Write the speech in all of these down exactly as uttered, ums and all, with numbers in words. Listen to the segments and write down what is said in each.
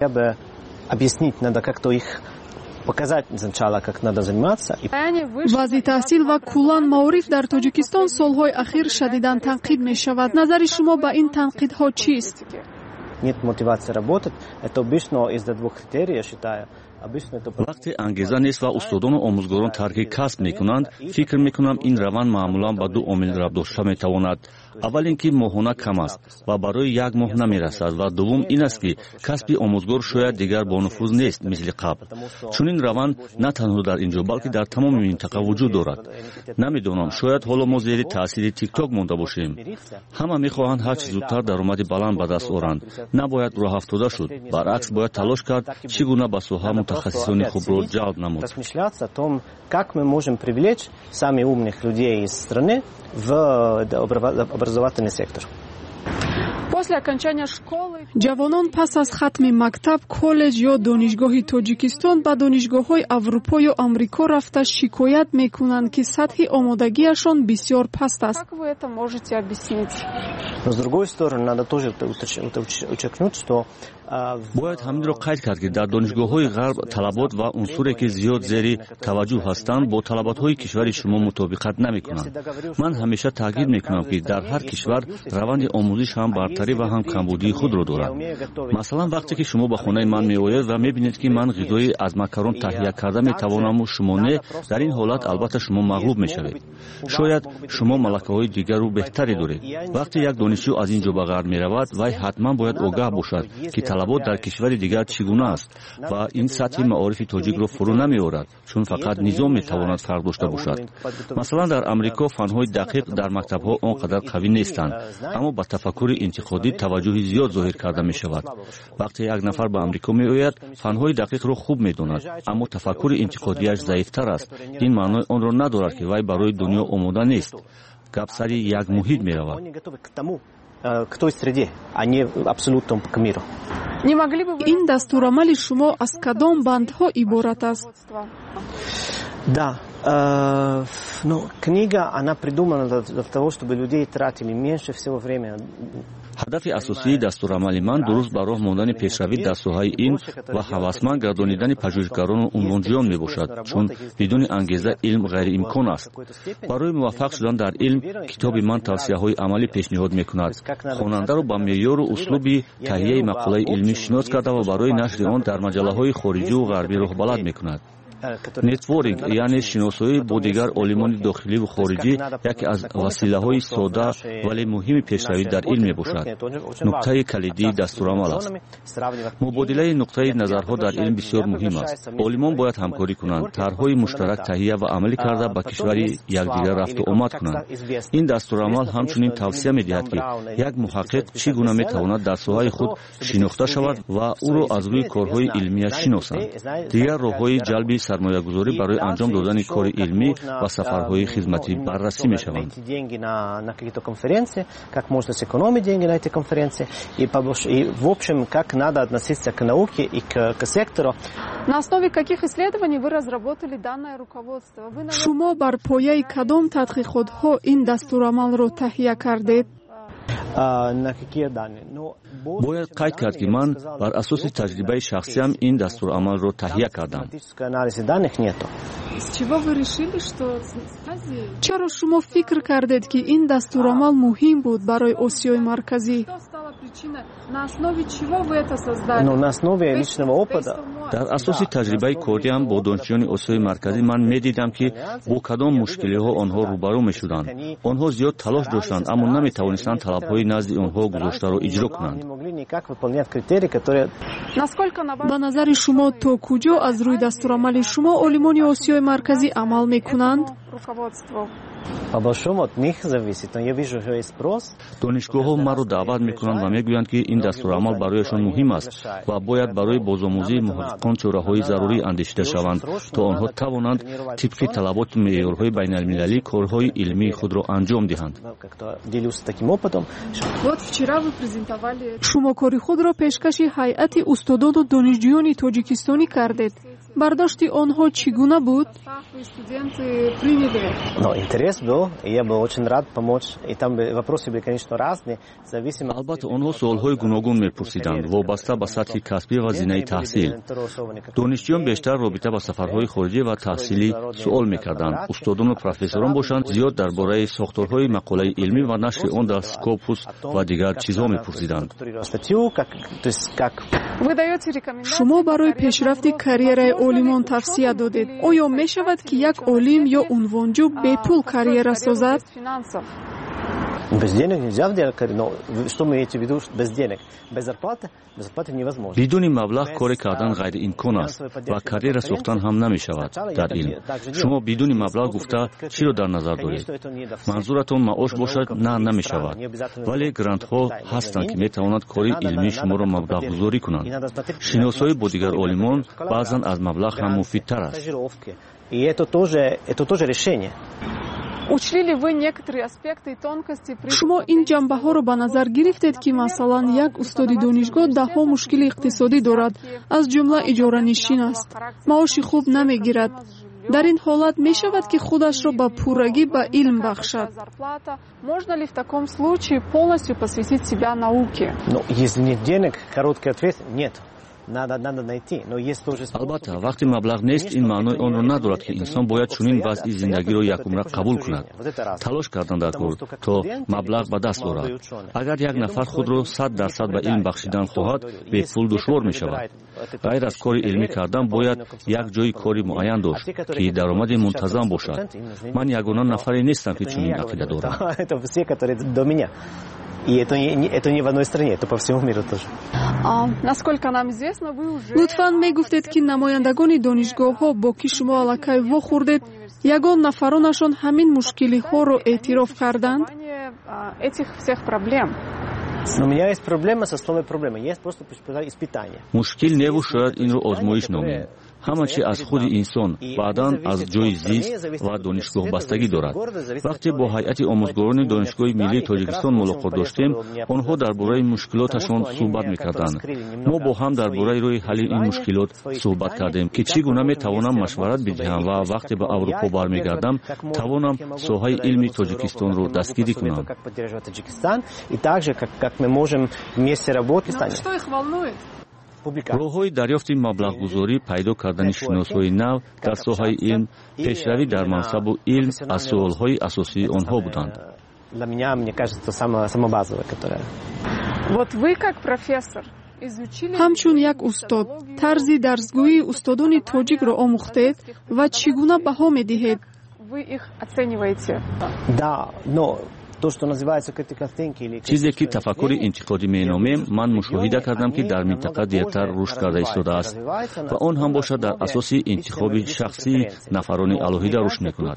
Бы объяснить, надо как-то их показать сначала, как надо заниматься. Вазъи таҳсил ва куллан маориф дар Тоҷикистон солҳои ахир шадидан танқид мешавад. Назари шумо ба ин танқидҳо чист? Нет мотивации работать. Это обычно из-за двух критерий, я считаю. Вақте ангеза нест ва устодону омӯзгорон тарки касб мекунанд, фикр мекунам, ин раванд маъмулан ба ду омил рабт дошта метавонад. Аввал ин ки моҳона кам аст ва барои як моҳ намерасад, ва дуввум ин аст, ки касби омӯзгор шояд дигар бонуфуз нест, мисли қабл. Чунин раванд на танҳо дар ин ҷо, балки дар тамоми минтақа вуҷуд дорад. Намедонам, шояд ҳоло мо зери таъсири Тикток монда бошем. Ҳама мехоҳанд ҳарчи зудтар даромади баланд ба даст оранд. Набояд роҳафтода шуд, баръакс, бояд талош кард, чӣ гуна ба соҳа мутахассисони хубро ҷалб намуд. Размышляться о том, как мы можем привлечь самых умных людей из страны в образовательный сектор. После окончания школы Ҷавонон пас аз хатми мактаб, коллеҷ ё донишгоҳи Тоҷикистон ба донишгоҳҳои Аврупо ё Амрико рафта шикоят мекунанд, ки сатҳи омодагиашон бисёр паст аст. Как вы это можете объяснить? Но, с другой стороны, надо тоже подчеркнуть, что Бояд ҳаминро қайд кард, ки дар донишгоҳҳои ғарб талабот ва унсуре, ки зиёд зери таваҷҷӯҳ ҳастанд, бо талаботҳои кишвари шумо мутобиқат намекунанд. Ман ҳамеша таъкид мекунам, ки дар ҳар кишвар раванди омӯзиш ҳам бартарӣ ва ҳам камбудии худро дорад. Масалан, вақте ки шумо ба хонаи ман меоед ва мебинед, ки ман ғизои аз макарон таҳия карда метавонаму шумо не, дар ин ҳолат албатта шумо мағлуб мешавед. Шояд шумо малакаҳои дигару беҳтаре доред. Вақте як донишҷӯ аз ин ҷо ба ғарб меравад, вай ҳатман бояд огаҳ бошад, ки талабот дар кишвари дигар чӣ гуна аст, ва ин сатҳи маорифи тоҷикро фурӯ намеорад, чун фақат низом метавонад фарқ дошта бошад. Масалан, дар Амрико фанҳои дақиқ дар мактабҳо он қадар қавӣ нестанд, аммо ба тафаккури интиқодӣ таваҷҷӯҳи зиёд зоҳир карда мешавад. Вақте як нафар ба Амрико меояд, фанҳои дақиқро хуб медонад, аммо тафаккури интиқодиаш заифтар аст. Ин маънои онро надорад, ки вай барои дунё омода нест. Гап сари як муҳит меравад. К той среде, а не абсолютно к миру. Не могли бы вы Ин дастурамали шумо аз кадом бандҳо иборат аст? Да, э, ну, книга, она придумана для, для того, чтобы людей тратили меньше всего времени. Ҳадафи асосии дастурамали ман дуруст ба роҳ мондани пешравӣ дар соҳаи илм ва ҳавасманд гардонидани пажӯҳишгарону унвонҷӯён мебошад, чун бидуни ангеза илм ғайриимкон аст. Барои муваффақ шудан дар илм китоби ман тавсияҳои амалӣ пешниҳод мекунад, хонандаро ба меъёру услуби таҳияи мақолаи илмӣ шинос карда ва барои нашри он дар маҷаллаҳои хориҷиву ғарбӣ роҳбалад мекунад. Нетворкинг, яъне шиносоӣ бо дигар олимони дохиливу хориҷӣ, яке аз василаҳои сода, вале муҳими пешравӣ дар илм мебошад. Нуқтаи калидии дастурамал аст. Мубодилаи нуқтаи назарҳо дар илм бисёр муҳим аст. Олимон бояд ҳамкорӣ кунанд, тарҳҳои муштарак таҳия ва амалӣ карда, ба кишвари якдигар рафту омад кунанд. Ин дастурамал ҳамчунин тавсия медиҳад, ки як муҳаққиқ чӣ гуна метавонад дар соҳаи худ шинохта шавад ва ӯро аз рӯи корҳои илмияш шиносанд. Дигар роҳҳои ҷалби сармоягузорӣ барои анҷом додани кори илмӣ ва сафарҳои хизматӣ баррасӣ мешаванд. Как можно сэкономить деньги на эти конференции и, и в общем, как надо относиться к науке и к, к сектору. На основе каких исследований вы разработали данное руководство? Вы, наверное, Шумо бар пояи кадом тадқиқотҳо ин дастурамалро таҳия кардед? На какие данные? Ну, Бояд қайд кард, ки ман бар асоси таҷрибаи шахсиам ин дастурамалро таҳия кардам. Анализа данных нету. С чего вы решили, что Азии? Чаро шумо фикр кардед, ки ин дастурамал муҳим буд барои Осиёи Марказӣ? Что стало причиной? На основе чего вы это создали? Ну, на основе личного опыта. Дар асоси таҷрибаи кориам бо донишҷӯёни Осиёи Марказӣ ман медидам, ки бо кадом мушкилиҳо онҳо рӯбарӯ мешуданд. Онҳо зиёд талош доштанд, аммо наметавонистанд талабҳои назди онҳо гузоштаро иҷро кунанд. Не могли никак выполнять критерии, которые Насколько на ваш Ба назари шумо, то куҷо аз рӯи дастурамали шумо олимони Осиёи Марказӣ амал мекунанд? Руководству? По большому от них зависит. Но я вижу, что есть спрос. Донишгоҳҳо маро даъват мекунанд ва мегӯянд, ки ин дастурамал барояшон муҳим аст ва бояд барои бозомӯзии муҳаққиқон чораҳои зарурӣ андешида шаванд, то онҳо тавонанд тибқи талаботу меъёрҳои байналмилалӣ корҳои илмии худро анҷом диҳанд. Как-то делюсь таким опытом. Вот вчера вы презентовали Шумо кори худро пешкаши ҳайати устодону донишҷӯёни тоҷикистонӣ кардед. Бардошти онҳо чӣ гуна буд? Но интерес был, и я был очень рад помочь. И там вопросы были, конечно, разные, зависимо. Албатта, онҳо суолҳои гуногун мепурсиданд, вобаста ба сатҳи касбӣ ва зинаи таҳсил. Донишҷӯён бештар робита ба сафарҳои хориҷӣ ва таҳсилӣ суол мекарданд. Устодону профессорон бошанд, зиёд дар бораи сохторҳои мақолаи илмӣ ва нашри он дар Скопус ва дигар чизҳо мепурсиданд. Шумо барои пешрафти карьераи олимон тавсия додед. Оё мешавад, ки як олим ё унвонҷӯ бепул карьера созад? Без денег нельзя делать карьеру, но что мы имеете в виду без денег? Без зарплаты? Без зарплаты невозможно. Бидуни маблағ коре кардан ғайриимкон аст ва карьера сохтан ҳам намешавад дар илм. Шумо бидуни маблағ гуфта чиро дар назар доред? Манзуратон маош бошад, на, намешавад. Вале грантҳо ҳастанд, ки метавонанд кори илмии шуморо маблағгузорӣ кунанд. Шиносоӣ бо дигар олимон баъзан аз маблағ ҳам муфидтар аст. И это тоже, это тоже решение. Шумо ин ҷанбаҳоро ба назар гирифтед, ки масалан як устоди донишгоҳ даҳҳо мушкили иқтисодӣ дорад, аз ҷумла иҷоранишин аст, маоши хуб намегирад. Дар ин ҳолат мешавад, ки худашро ба пуррагӣ ба илм бахшад? Можно ли в таком случае полностью посвятить себя науке? Ну, если нет денег, короткий ответ – нет. Надо, надо найти. Но есть тоже способ. Албатта, вақте маблағ нест, ин маънои онро надорад, ки инсон бояд чунин вазъи зиндагиро якумра қабул кунад. Талош кардан дар кор, то маблағ ба даст орад. Агар як нафар худро сад дарсад ба илм бахшидан хоҳад, бепул душвор мешавад. Ғайр аз кори илмӣ кардан, бояд як ҷои кори муайян дошт, ки даромади мунтазам бошад. Ман ягона нафаре нестам, ки чунин ақида дорам. Это все, которые до меня. И это не, это не в одной стране, это по всему миру тоже. Насколько нам известно, вы уже... Лутфан, мегуфтед, ки намояндагони донишгоҳҳо, бо ки шумо аллакай вохӯрдед, ягон нафаронашон ҳамин мушкилиҳоро эътироф карданд? Этих всех проблем. Но у меня есть проблема со словом проблема. Есть просто испытание. Мушкил неву, шояд инро озмоиш номем. Ҳама чи аз худи инсон, баъдан аз ҷои зист ва донишгоҳ бастагӣ дорад. Вақте бо ҳайати омӯзгорони Донишгоҳи миллии Тоҷикистон мулоқот доштем, онҳо дар бораи мушкилоташон суҳбат мекарданд. Мо бо ҳам дар бораи роҳи ҳалли ин мушкилот суҳбат кардем, ки чӣ гуна метавонам машварат бидиҳам ва вақте ба Аврупо бармегардам, тавонам соҳаи илми Тоҷикистонро дастгирӣ кунам. Что их волнует? Роҳҳои дарёфти маблағгузорӣ, пайдо кардани шиносҳои нав дар соҳаи илм, пешравӣ дар мансабу илм аз суолҳои асосии онҳо буданд. Для меня, мне кажется, самое, самое базовое, которое. Вот вы как профессор изучили... Ҳамчун як устод тарзи дарсгӯии устодони тоҷикро омӯхтед ва чӣ гуна баҳо медиҳед? Вы их оцениваете? Да, но то, что называется critical thinking или Чизе ки тафаккури интиқодӣ меномем, ман мушоҳида кардам, ки дар минтақа дертар рушд карда истодааст ва он ҳам бошад дар асоси интихоби шахсии нафарони алоҳида рушд мекунад.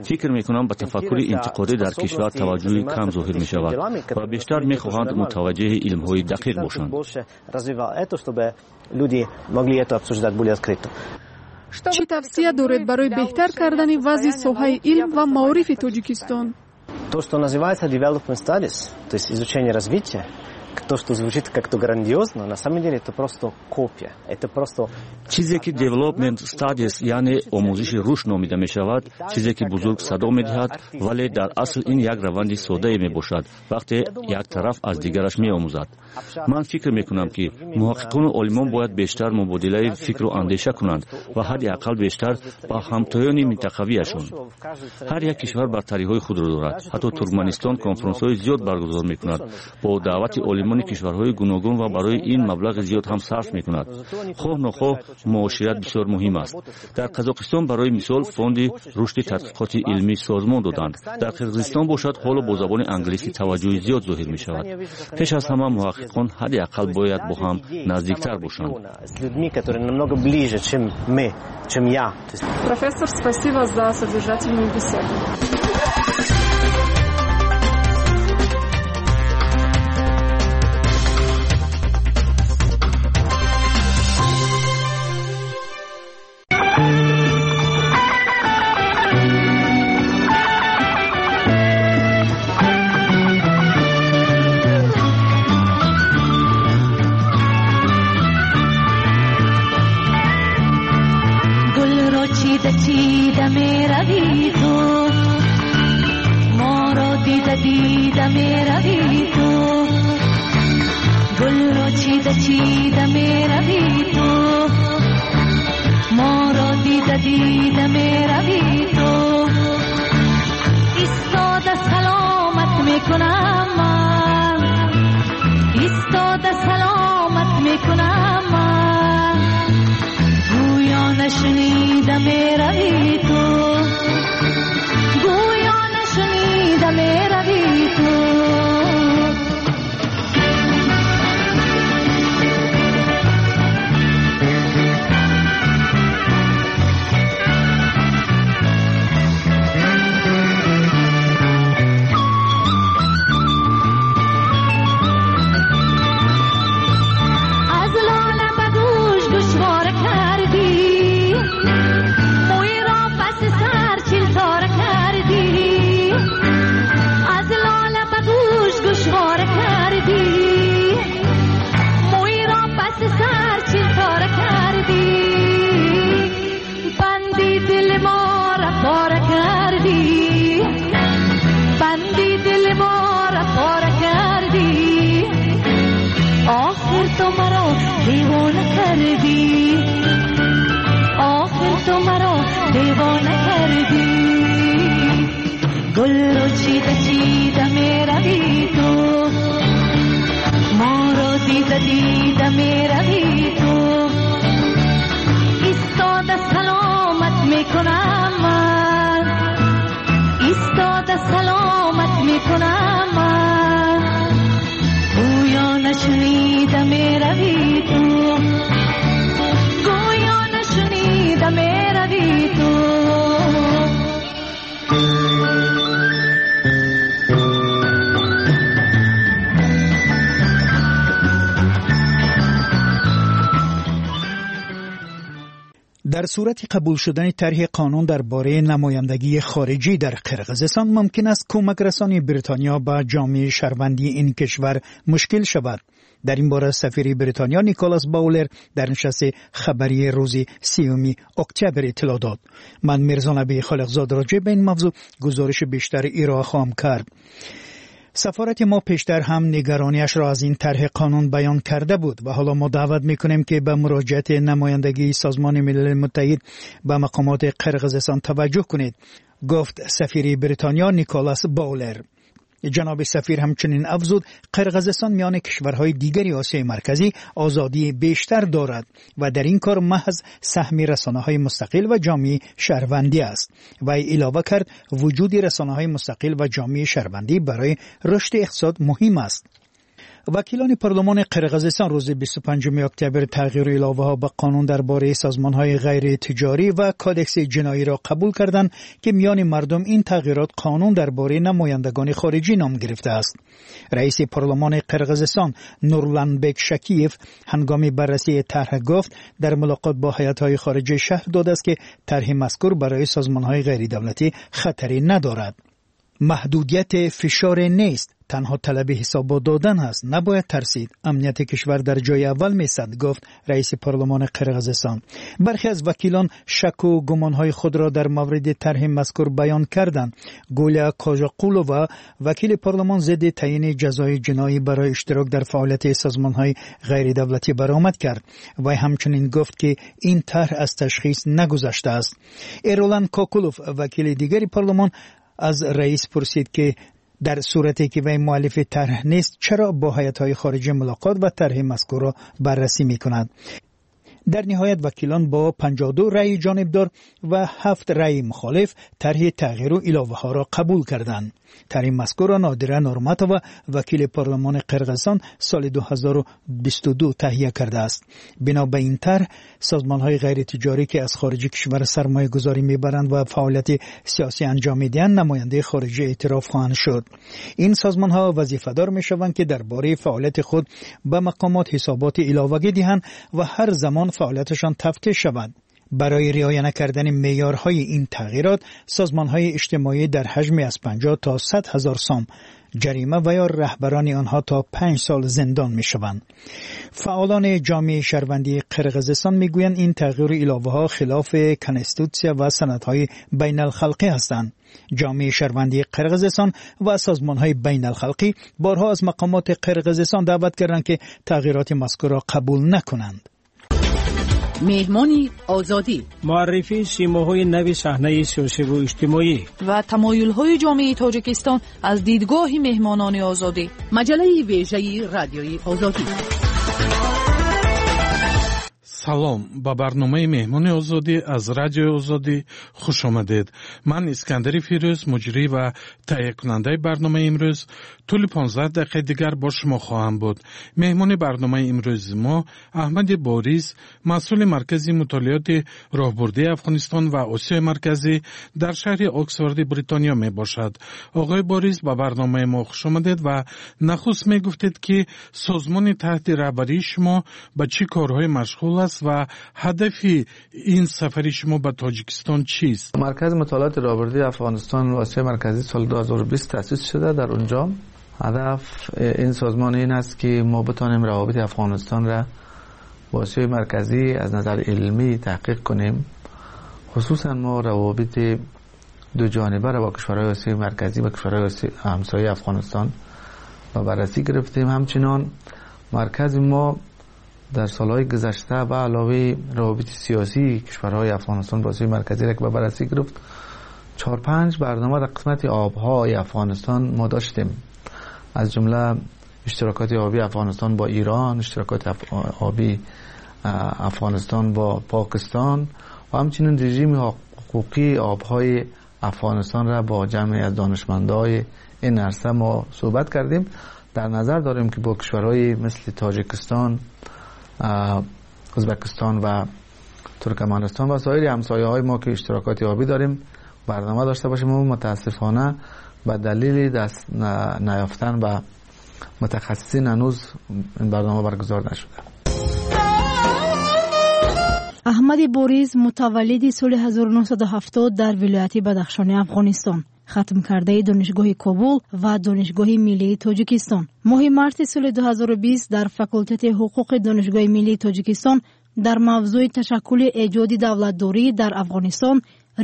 Фикр мекунам, ба тафаккури интиқодӣ дар кишвар таваҷҷӯҳи кам зоҳир мешавад ва бештар мехоҳанд мутаваҷҷеҳи илмҳои дақиқ бошанд. Больше развивал это, чтобы люди могли это обсуждать более открыто. Чӣ тавсия доред барои беҳтар кардани вазъи соҳаи илм ва маорифи Тоҷикистон? То, что называется development studies, то есть изучение развития, то, что звучит как-то грандиозно, на самом деле это просто копия. Это просто... Чизе ки development studies, яъне омӯзиши рушд номида мешавад, чизе ки бузург садо медиҳад, вале дар асл ин як раванди соддае мебошад, вақте як тараф аз дигараш меомӯзад. Ман фикр мекунам, ки муҳаққиқону олимон бояд бештар мубодилаи фикру андеша кунанд ва ҳадди ақал бештар ба ҳамтоёни минтақавиашон. Ҳар як кишвар бартариҳои худро дорад. Ҳатто Туркманистон конфронсҳои зиёд баргузор мекунад бо даъвати олимони кишварҳои гуногун ва барои ин маблағи зиёд ҳам сарф мекунад. Хоҳ нохоҳ, муошират бисёр муҳим аст. Дар Қазоқистон, барои мисол, фонди рушди тадқиқоти илмӣ созмон доданд. Дар Қирғизистон бошад, ҳоло бо забони англисӣ таваҷҷӯҳи зиёд зоҳир мешавад. Пеш аз ҳама муҳаққиқон ҳадди ақал бояд бо ҳам наздиктар бошанд. С людьми, которые намного ближе, чем мы, чем я. Профессор, спасибо за содержательную беседу. چیده چیده میروی تو، ما را دیده دیده میروی تو، گل را چیده چیده میروی تو، ما را دیده دیده میروی تو. ایستاده سلامت میکنم من، ایستاده سلامت میکنم من، گویا نشنیده میروی تو، گویا نشنیده میروی تو. در صورت قبول شدن طرح قانون درباره نمایندگی خارجی در قرقیزستان ممکن است کمک رسانی بریتانیا به جامعه شهروندی این کشور مشکل شود. در این باره سفیر بریتانیا نیکولاس باولر در نشست خبری روز سیوم اکتبر اطلاع داد. من میرزا نبی خالقزاد راجع به این موضوع گزارش بیشتر ارائه خواهم کرد. سفارت ما پیشتر هم نگرانیش را از این طرح قانون بیان کرده بود و حالا ما دعوت میکنیم که به مراجعت نمایندگی سازمان ملل متحد به مقامات قرقیزستان توجه کنید، گفت سفیر بریتانیا نیکولاس باولر. جناب سفیر همچنین افزود قرقیزستان میان کشورهای دیگری آسیای مرکزی آزادی بیشتر دارد و در این کار محض سهم رسانه‌های مستقل و جامعه شهروندی است. و علاوه کرد وجود رسانه‌های مستقل و جامعه شهروندی برای رشد اقتصاد مهم است. وکیلان پارلمان قرقیزستان روز بیست و پنجم اکتبر تغییر علاوه ها به قانون درباره سازمان‌های غیر تجاری و کادکس جنایی را قبول کردند که میان مردم این تغییرات قانون درباره نمایندگان خارجی نام گرفته است. رئیس پارلمان قرقیزستان نورلانبک شکیف هنگام بررسی طرح گفت در ملاقات با هیئت‌های خارجی شهر داده است که طرح مذکور برای سازمان‌های غیر دولتی خطری ندارد. محدودیت فشار نیست، تنها طلب حساب دادن هست، نباید ترسید، امنیت کشور در جای اول میسد، گفت رئیس پارلمان قرقیزستان. برخی از وکیلان شک و گمانهای خود را در مورد طرح مذکور بیان کردند. گولیا کاژاقولova وکیل پارلمان ضد تعیین جزای جنایی برای اشتراک در فعالیت سازمانهای غیر دولتی برآمد کرد و همچنین گفت که این طرح از تشخیص نگذشته است. ایرولان کوکولوف وکیل دیگری پارلمان از رئیس پرسید که در صورتی که وی مؤلف طرح نیست چرا با هیئت‌های خارجی ملاقات و طرح مذکور را بررسی می‌کند. در نهایت وکیلان با پنجاه و دو رأی جانبدار و هفت رأی مخالف طرح تغییر و علاوه ها را قبول کردند. طرح مذکور را نادره نورماتova وکیل پارلمان قرقیزستان سال دو هزار و بیست و دو تهیه کرده است. بنا به این طرح سازمان های غیر تجاری که از خارج کشور سرمایه گذاری میبرند و فعالیت سیاسی انجام میدهند نماینده خارجی اعتراف خواهند شد. این سازمان ها وظیفه دار میشوند که درباره فعالیت خود به مقامات حسابات علاوگی دهند و هر زمان فعالیتشان تفتیش شود. برای رعایت نکردن معیارهای این تغییرات، سازمان‌های اجتماعی در حجم از پنجاه تا صد هزار سام جریمه و یا رهبران آنها تا پنج سال زندان می‌شوند. فعالان جامعه شهروندی قرقیزستان میگویند این تغییر علاوه ها خلاف کنستیتوسیا و سندهای بین الخلقی هستند. جامعه شهروندی قرقیزستان و سازمان‌های بین الخلقی بارها از مقامات قرقیزستان دعوت کردند که تغییرات مذکور را قبول نکنند. Меҳмони Озодӣ. Муаррифии симоҳои нави саҳнаи сиёсиву иҷтимоӣ ва тамоюлҳои ҷомеаи Тоҷикистон аз дидгоҳи меҳмонони Озодӣ. Маҷаллаи вежаи Радиои Озодӣ. Салом, ба барномаи Меҳмони Озодӣ аз Радиои Озодӣ хуш омадед. Ман Искандари Фирӯз, муҷрӣ ва таҳиякунандаи барномаи имрӯз, тӯли понздаҳ дақиқаи дигар бо шумо хоҳам буд. Меҳмони барномаи имрӯзи мо Аҳмади Борис, масъули Маркази мутолиоти роҳбурдии Афғонистон ва Осиёи Марказӣ дар шаҳри Оксфорди Бритониё мебошад. Оғои Борис, ба барномаи мо хуш омадед ва нахуст мегуфтед, ки созмони таҳти раҳбарии шумо ба чӣ корҳое машғул аст ва ҳадафи ин сафари шумо ба Тоҷикистон чист? Маркази мутолиоти роҳбурдии Афғонистон ва Осиёи Марказӣ соли ду ҳазору бист таъсис шуда. Дар онҷо ҳадаф ин созмон ин аст, ки мо битонем равобити Афғонистон را با آسیای مرکزی از نظر علمی تحقیق کنیم. خصوصا ما روابط دو جانبه را با کشورهای آسیای مرکزی و کشورهای همسایه افغانستان با بررسی گرفتیم. همچنان مرکز ما در سالهای گذشته به علاوه روابط سیاسی کشورهای افغانستان با آسیای مرکزی را که به بررسی گرفت، چهار پنج برنامه در قسمت آبهای افغانستان ما داشتیم، از جمله اشتراکات آبی افغانستان با ایران، اشتراکات آبی افغانستان با پاکستان و همچنین رژیم حقوقی آبهای افغانستان را با جمعی از دانشمندای این عرصه ما صحبت کردیم. در نظر داریم که با کشورهای مثل تاجیکستان، ازبکستان و ترکمنستان و سایر همسایه های ما که اشتراکات آبی داریم برنامه داشته باشیم. و متاسفانه به دلیل دست نیافتن به متخصصین هنوز این برنامه برگزار نشده. Аҳмади Борис мутаваллиди соли ҳазору нӯҳсаду ҳафтод дар вилояти Бадахшони Афғонистон, хатмкардаи Донишгоҳи Кобул ва Донишгоҳи Миллии Тоҷикистон. Моҳи марти соли ду ҳазору бист дар факултети ҳуқуқи Донишгоҳи Миллии Тоҷикистон дар мавзӯи ташаккули эҷоди давлатдорӣ дар Афғонистон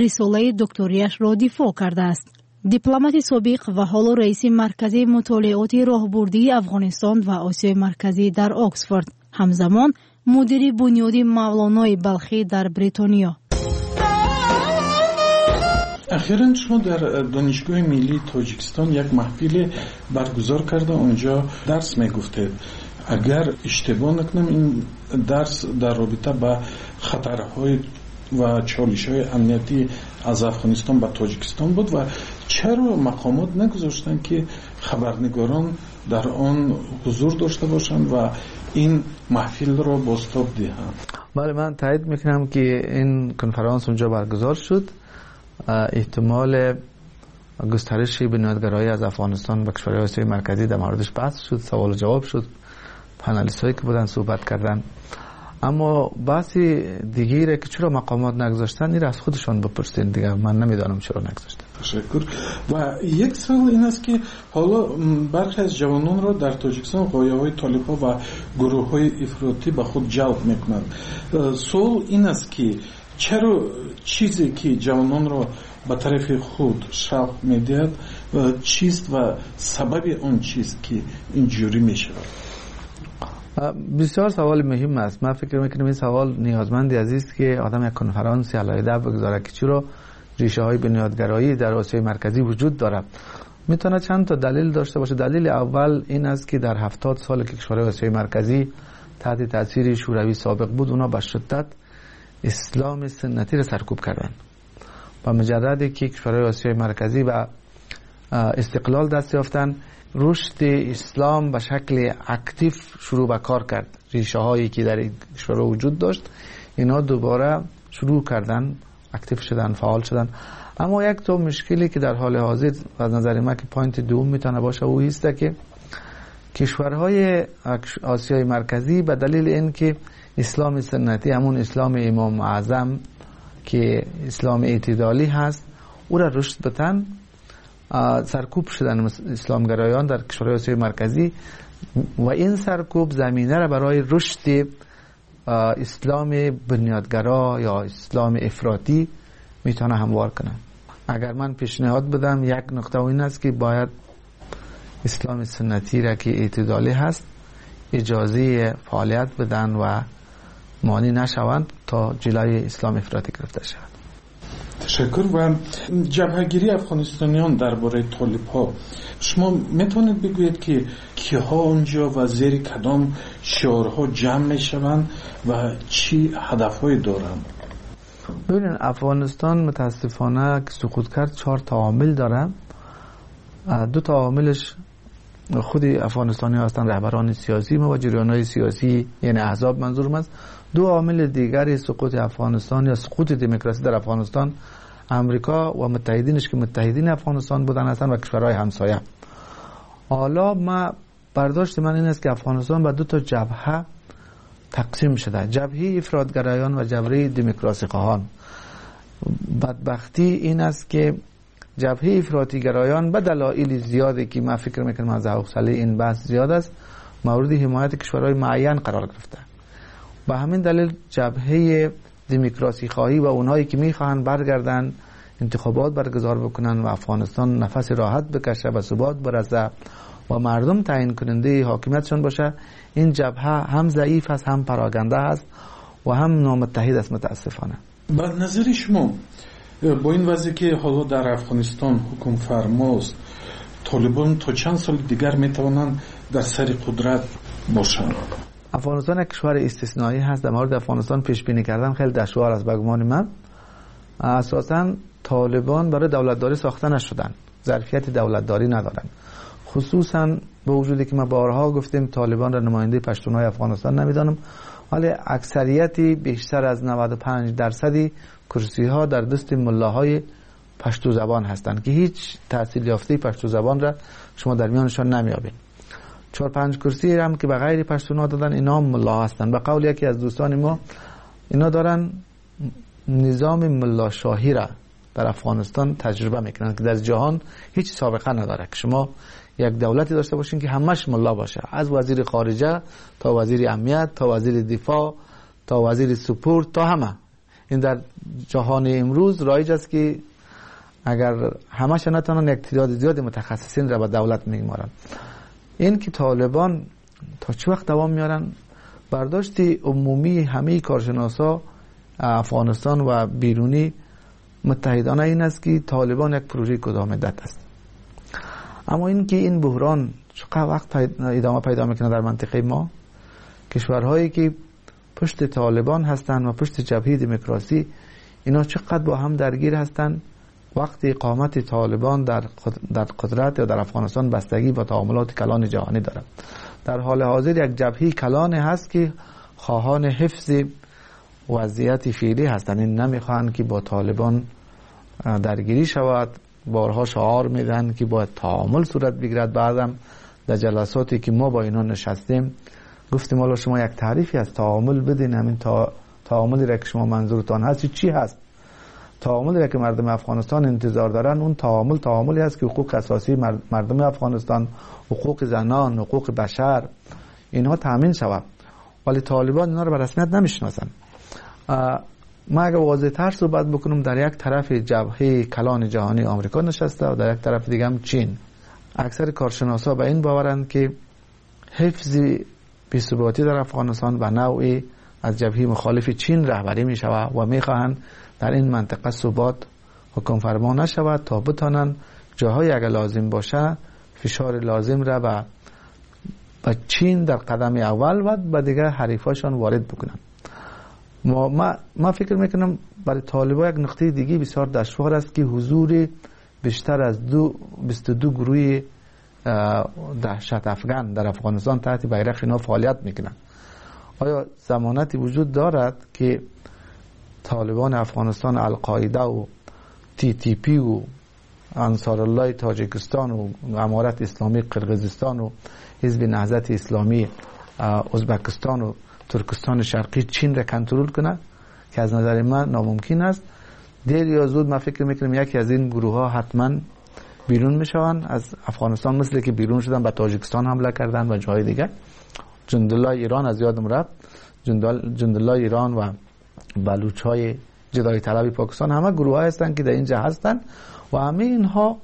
рисолаи докторияшро дифоъ кардааст. Дипломати собиқ ва ҳоло раиси Маркази мутолиоти роҳбурдии Афғонистон ва Осиёи Марказӣ дар Оксфорд, ҳамзамон мудири бунёди Мавлонои Балхӣ дар Бритониё. Ахиран шумо дар Донишгоҳи Миллии Тоҷикистон як маҳфиле баргузор карда, онҷо дарс мегуфтед. Агар иштибоҳ накунам, ин дарс дар робита ба хатарҳои ва чолишҳои амниятӣ аз Афғонистон ба Тоҷикистон буд. Ва чаро мақомот нагузоштанд, ки хабарнигорон дар он ҳузур дошта бошанд ва ин маҳфилро бозтоб диҳанд? Бале, ман таъйид мекунам, ки ин конференс онҷо баргузор шуд. احتمال گسترش بنیادگرایی از افغانستان به کشورهای آسیای مرکزی در موردش بحث شد، سوال و جواب شد، پنالیست هایی که بودن صحبت کردن. اما بحث دیگه که چرا مقامات نگذاشتن، این از خودشان بپرسین دیگه، من نمیدانم چرا نگذاشتن. تشکر. و یک سوال این است که حالا برخی از جوانان را در تاجیکستان غایه‌های طالب‌ها و گروه‌های افراطی به خود جلب میکنند. سوال این است که چرا چیزی که جوانان را به طرف خود شوق میدهد چیست و سبب آن چیست که اینجوری میشود؟ بسیار سوال مهم است. من فکر میکنم این سوال نیازمند از است که آدم یک کنفرانس علیحده بگذاره که چرا ریشه های بنیادگرایی در آسیای مرکزی وجود دارد. میتونه چند تا دلیل داشته باشه. دلیل اول این است که در هفتاد سال که کشورهای آسیای مرکزی تحت تاثیر شوروی سابق بود، اونا به شدت اسلام سنتی را سرکوب کردن. با مجردی که کشورهای آسیای مرکزی به استقلال دست یافتن، رشد اسلام به شکل active شروع به کار کرد. ریشه هایی که در این کشورها وجود داشت، اینا دوباره شروع کردن، active شدن، فعال شدن. اما یک تو مشکلی که در حال حاضر از نظر من که point دوم میتونه باشه، او است که کشورهای آسیای مرکزی به دلیل اینکه اسلام سنتی، همون اسلام امام اعظم که اسلام اعتدالی هست او را رشد بدن. سرکوب شدن اسلامگرایان در کشورهای آسیای مرکزی و این سرکوب زمینه را برای رشد اسلام بنیادگرا یا اسلام افراطی میتونه هموار کنه. اگر من پیشنهاد بدم یک نقطه این است که باید اسلام سنتی را که اعتدالی هست اجازه فعالیت بدن و مانع نشوند تا جلوی اسلام افراطی گرفته شود. تشکر. و جبهگیری افغانستانیان درباره طالب ها، شما میتونید بگویید که کیها اونجا و زیر کدام شعارها جمع میشوند و چی هدفهای دارند؟ ببینید افغانستان متاسفانه که سقوط کرد چهار تا عامل داره. دو تا عاملش خود افغانستانی هستند، رهبران سیاسی ما و جریان‌های سیاسی، یعنی احزاب منظورم است. دو عامل دیگر سقوط افغانستان یا سقوط دموکراسی در افغانستان امریکا و متحدینش که متحدین افغانستان بودن هستند و کشورهای همسایه. حالا ما برداشت من این است که افغانستان به دو تا جبهه تقسیم شده، جبهه افراط‌گرایان و جبهه دموکراسی خواهان. بدبختی این است که جبهه افراطی گرایان به دلایل زیادی که من فکر میکنم از حوصله این بحث زیاد است مورد حمایت کشورهای معین قرار گرفته. به همین دلیل جبهه دموکراسی خواهی و اونهایی که میخواهند برگردن انتخابات برگزار بکنن و افغانستان نفس راحت بکشه و ثبات برسه و مردم تعیین کننده حاکمیتشان باشه، این جبهه هم ضعیف است، هم پراگنده است و هم نامتحد است متاسفانه. به نظر شما با این وضعی که حالا در افغانستان حکم فرماست، طالبان تا چند سال دیگر میتوانند در سر قدرت باشند؟ افغانستان یک کشور استثنایی هست. در مورد افغانستان پیش بینی کردن خیلی دشوار است به گمان من. اساساً طالبان برای دولتداری ساخته نشدن، ظرفیت دولتداری ندارن، خصوصا به وجودی که ما بارها گفتیم طالبان را نماینده پشتونهای افغانستان نمیدانم، ولی اکثریتی بیشتر از نود و پنج درصدی کرسی ها در دست ملاهای پشتو زبان هستند که هیچ تحصیل یافته پشتو زبان را شما در میانشان نمیابین. چهار پنج کرسی هم که به غیر پشتونا دادن اینا هم ملا هستند. به قول یکی از دوستان ما اینا دارن نظام ملا شاهی را در افغانستان تجربه میکنن که در جهان هیچ سابقه نداره که شما یک دولتی داشته باشین که همش ملا باشه، از وزیر خارجه تا وزیر امنیت تا وزیر دفاع تا وزیر سپورت تا همه. این در جهان امروز رایج است که اگر همش نتونن یک تعداد زیاد متخصصین را به دولت میگمارن. این که طالبان تا چه وقت دوام میارن، برداشت عمومی همه کارشناسا افغانستان و بیرونی متحدانه این است که طالبان یک پروژه کوتاه مدت است. اما این که این بحران چقدر وقت ادامه پیدا میکنه در منطقه ما، کشورهایی که پشت طالبان هستند و پشت جبهه دموکراسی، اینا چقدر با هم درگیر هستند. وقت اقامت طالبان در در قدرت یا در افغانستان بستگی با تعاملات کلان جهانی دارد. در حال حاضر یک جبهه کلان هست که خواهان حفظ وضعیت فعلی هستند، این نمیخواهند که با طالبان درگیری شود. بارها شعار میدن که باید تعامل صورت بگیرد. بعدم در جلساتی که ما با اینا نشستیم گفتیم حالا شما یک تعریفی از تعامل بدین، همین تا تعاملی را که شما منظورتان هست چی هست؟ تعاملی را که مردم افغانستان انتظار دارن اون تعامل تعاملی است که حقوق اساسی مردم افغانستان، حقوق زنان، حقوق بشر اینها تامین شود. ولی طالبان اینا رو به رسمیت نمیشناسن. ما اگر واضح تر صحبت بکنم، در یک طرف جبهه کلان جهانی آمریکا نشسته و در یک طرف دیگه هم چین. اکثر کارشناسا به این باورند که حفظ بی‌ثباتی در افغانستان به نوعی از جبهه مخالف چین رهبری می شود و می خواهند در این منطقه ثبات حکم فرما نشود تا بتانند جاهای اگر لازم باشه فشار لازم را به به چین در قدم اول و به دیگر حریفاشان وارد بکنند. ما, ما, ما فکر میکنم برای طالبان یک نقطه دیگه بسیار دشوار است که حضور بیشتر از دو بیست و دو گروه دهشت افغان در افغانستان تحت بیرق اینا فعالیت میکنن. آیا ضمانتی وجود دارد که طالبان افغانستان القاعده و تی تی پی و انصار الله تاجیکستان و امارت اسلامی قرقیزستان و حزب نهضت اسلامی ازبکستان و ترکستان شرقی چین را کنترل کنه که از نظر من ناممکن است. دیر یا زود من فکر میکنم یکی از این گروه ها حتما بیرون میشوند از افغانستان، مثل که بیرون شدن به تاجیکستان حمله کردن و جای دیگه. جندالله ایران از یادم رفت، جندالله ایران و بلوچ های جدایی طلب پاکستان، همه گروه های هستند که در اینجا هستند و همه اینها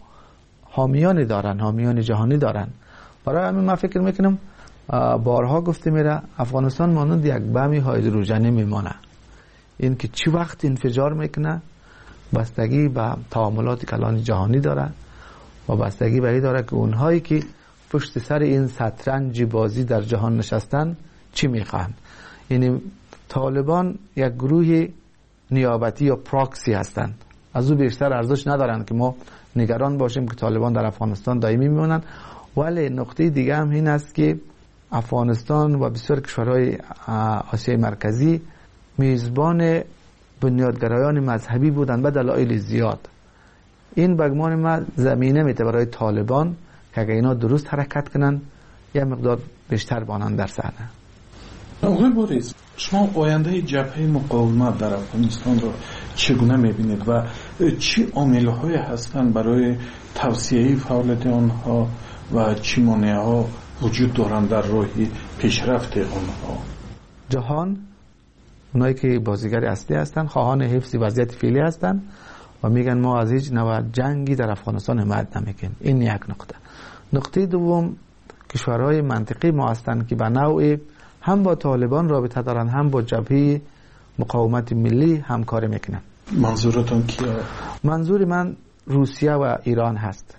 حامیان دارن، حامیان جهانی دارن. برای همین من فکر میکنم بارها گفته میره افغانستان مانند یک بم هیدروژنی میمانه، این که چی وقت انفجار میکنه بستگی به تعاملات کلان جهانی داره و بستگی به این داره که اونهایی که پشت سر این شطرنج بازی در جهان نشستن چی میخوان. یعنی طالبان یک گروه نیابتی یا پراکسی هستند، از او بیشتر ارزش ندارن که ما نگران باشیم که طالبان در افغانستان دائمی میمونن. ولی نقطه دیگه هم این است که افغانستان و بسیار کشورهای آسیای مرکزی میزبان بنیادگرایان مذهبی بودند به دلایل زیاد. این بگمان ما زمینه میده برای طالبان که اگه اینا درست حرکت کنن یه مقدار بیشتر بانن در صحنه. آقای بوریس، شما آینده جبهه مقاومت در افغانستان را چگونه میبینید و چی عامل‌های هستند برای توسعه فعالیت آنها و چی مانع‌ها وجود دارند در راه پیشرفت آنها؟ جهان، اونایی که بازیگر اصلی هستند، خواهان حفظ وضعیت فعلی هستند و میگن ما از هیچ نوع جنگی در افغانستان حمایت نمیکنیم. این یک نقطه. نقطه دوم، کشورهای منطقی ما هستند که به نوعی هم با طالبان رابطه دارن، هم با جبهه مقاومت ملی همکاری میکنن. منظورتون کیه؟ منظور من روسیه و ایران هست.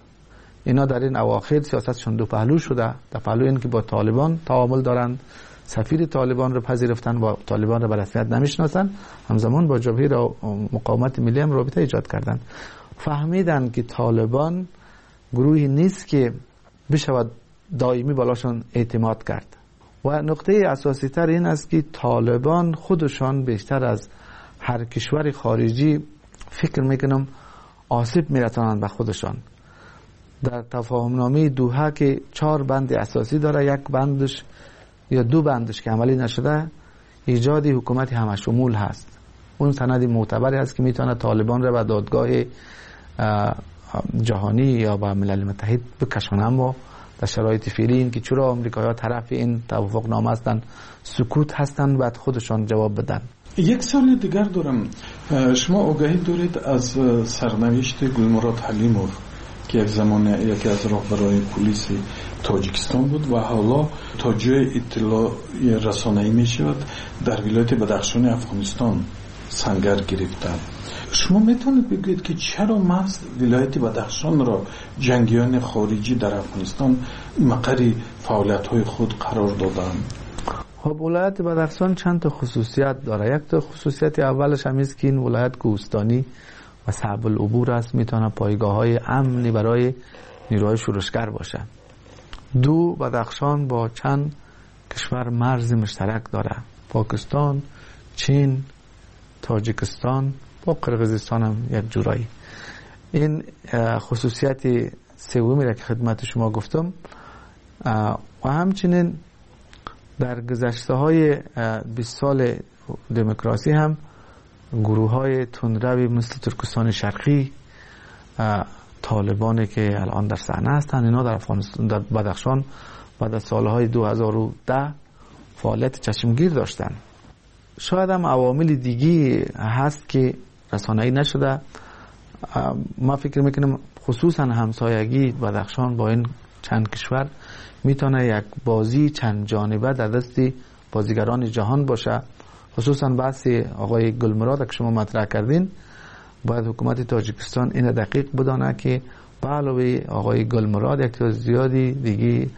اینا در این اواخر سیاستشون دو پهلو شده. در پهلو این که با طالبان تعامل دارن، سفیر طالبان رو پذیرفتن و طالبان رو به رسمیت نمیشناسن، همزمان با جبهه مقاومت ملی هم رابطه ایجاد کردن. فهمیدن که طالبان گروهی نیست که بشود دائمی بالاشون اعتماد کرد. و نقطه اساسی تر این است که طالبان خودشان بیشتر از هر کشور خارجی فکر میکنم آسیب میرسانند به خودشان. در تفاهمنامه دوحه که چهار بند اساسی داره، یک بندش یا دو بندش که عملی نشده ایجاد حکومت همشمول هست. اون سند معتبری هست که میتونه طالبان را به دادگاه جهانی یا به ملل متحد بکشونه. اما در شرایط فعلی این که چرا آمریکایی‌ها طرف این توافق نامه هستند، سکوت هستند، بعد خودشان جواب بدن. یک سال دیگر دارم. شما آگاهی دارید از سرنوشت گلمراد حلیموف که یک زمان یکی از راهبرای پلیس تاجیکستان بود و حالا تا جای اطلاع رسانه‌ای میشود در ولایت بدخشان افغانستان سنگر گرفتند. شما میتونید بگویید که چرا محض ولایت بدخشان را جنگیان خارجی در افغانستان مقر فعالیت‌های خود قرار دادند؟ خب ولایت بدخشان چند تا خصوصیت داره. یک تا خصوصیت اولش هم است که این ولایت کوهستانی و صعب العبور است، میتونه پایگاه‌های امنی برای نیروهای شورشگر باشه. دو، بدخشان با چند کشور مرز مشترک داره، پاکستان، چین، تاجیکستان، با قرقیزستان هم یک جورایی. این خصوصیت سومی را که خدمت شما گفتم. و همچنین در گذشته های بیست سال دموکراسی هم گروه های تندروی مثل ترکستان شرقی، طالبانی که الان در صحنه هستند، اینا در افغانستان در بدخشان بعد از سالهای دو هزار و ده فعالیت چشمگیر داشتند. شاید هم عوامل دیگه هست که رسانه‌ای نشده. ما فکر میکنم خصوصا همسایگی بدخشان با این چند کشور میتونه یک بازی چند جانبه در دست بازیگران جهان باشه. خصوصا بحث آقای گلمراد که شما مطرح کردین، باید حکومت تاجیکستان این دقیق بدانه که به علاوه آقای گلمراد یک تعداد زیادی دیگه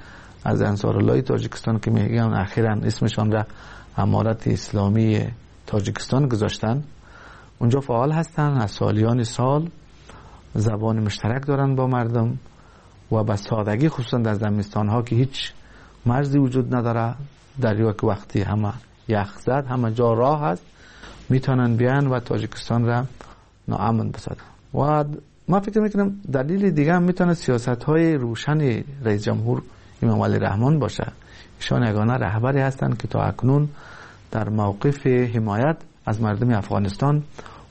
از انصارالله تاجیکستان که میگن اخیراً اسمشان را امارت اسلامی تاجیکستان گذاشتن، اونجا فعال هستن، از سالیان سال زبان مشترک دارن با مردم و به سادگی خصوصا در زمستان ها که هیچ مرزی وجود نداره، در یک وقتی همه یخ زد همه جا راه هست، میتونن بیان و تاجیکستان را ناامن بسازن. و ما فکر میکنم دلیل دیگه هم میتونه سیاست های روشن رئیس جمهور امام علی رحمان باشه. ایشان یگانه رهبری هستند که تا اکنون در موقف حمایت از مردم افغانستان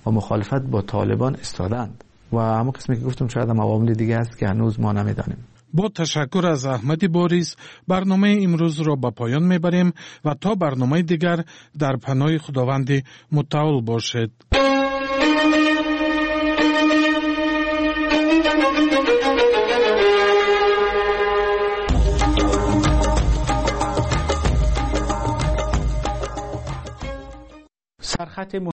و مخالفت با طالبان ایستادند و همون قسمی که گفتم شاید هم عوامل دیگه است که هنوز ما نمیدانیم. Бо ташаккур аз Аҳмади Бориз барномаи имрӯзро ба поён мебарем ва то барномаи дигар дар паноҳи Худованди мутаол бошед. سرخط